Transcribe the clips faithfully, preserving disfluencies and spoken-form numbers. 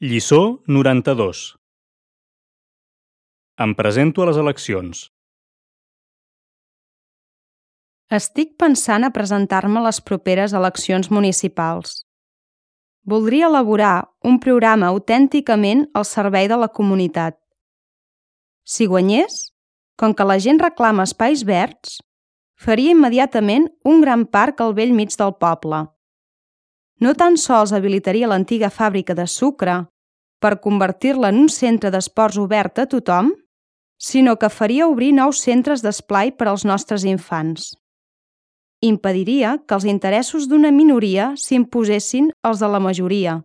Lliçó noranta-dos. Em presento a les eleccions. Estic pensant a presentar-me a les properes eleccions municipals. Voldria elaborar un programa autènticament al servei de la comunitat. Si guanyés, com que la gent reclama espais verds, faria immediatament un gran parc al bell mig del poble. No tan sols habilitaria l'antiga fàbrica de sucre per convertir-la en un centre d'esports obert a tothom, sinó que faria obrir nous centres d'esplai per als nostres infants. Impediria que els interessos d'una minoria s'imposessin als de la majoria,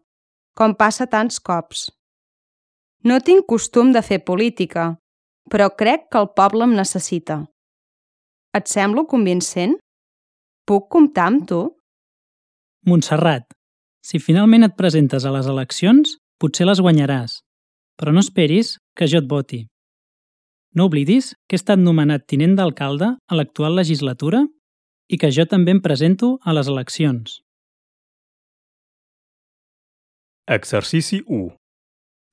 com passa tants cops. No tinc costum de fer política, però crec que el poble em necessita. Et semblo convincent? Puc comptar amb tu? Montserrat, si finalment et presentes a les eleccions, potser les guanyaràs, però no esperis que jo et voti. No oblidis que he estat nomenat tinent d'alcalde a l'actual legislatura i que jo també em presento a les eleccions. Exercici u.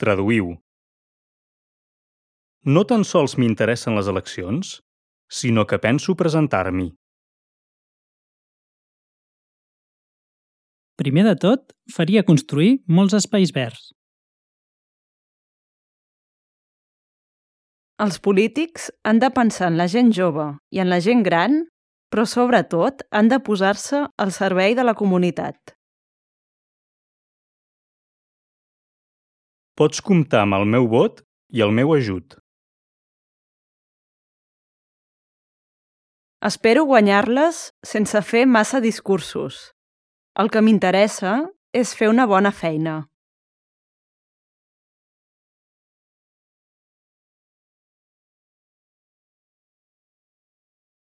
Traduïu. No tan sols m'interessen les eleccions, sinó que penso presentar-m'hi. Primer de tot, faria construir molts espais verds. Els polítics han de pensar en la gent jove i en la gent gran, però sobretot han de posar-se al servei de la comunitat. Pots comptar amb el meu vot i el meu ajut. Espero guanyar-les sense fer massa discursos. El que m'interessa és fer una bona feina.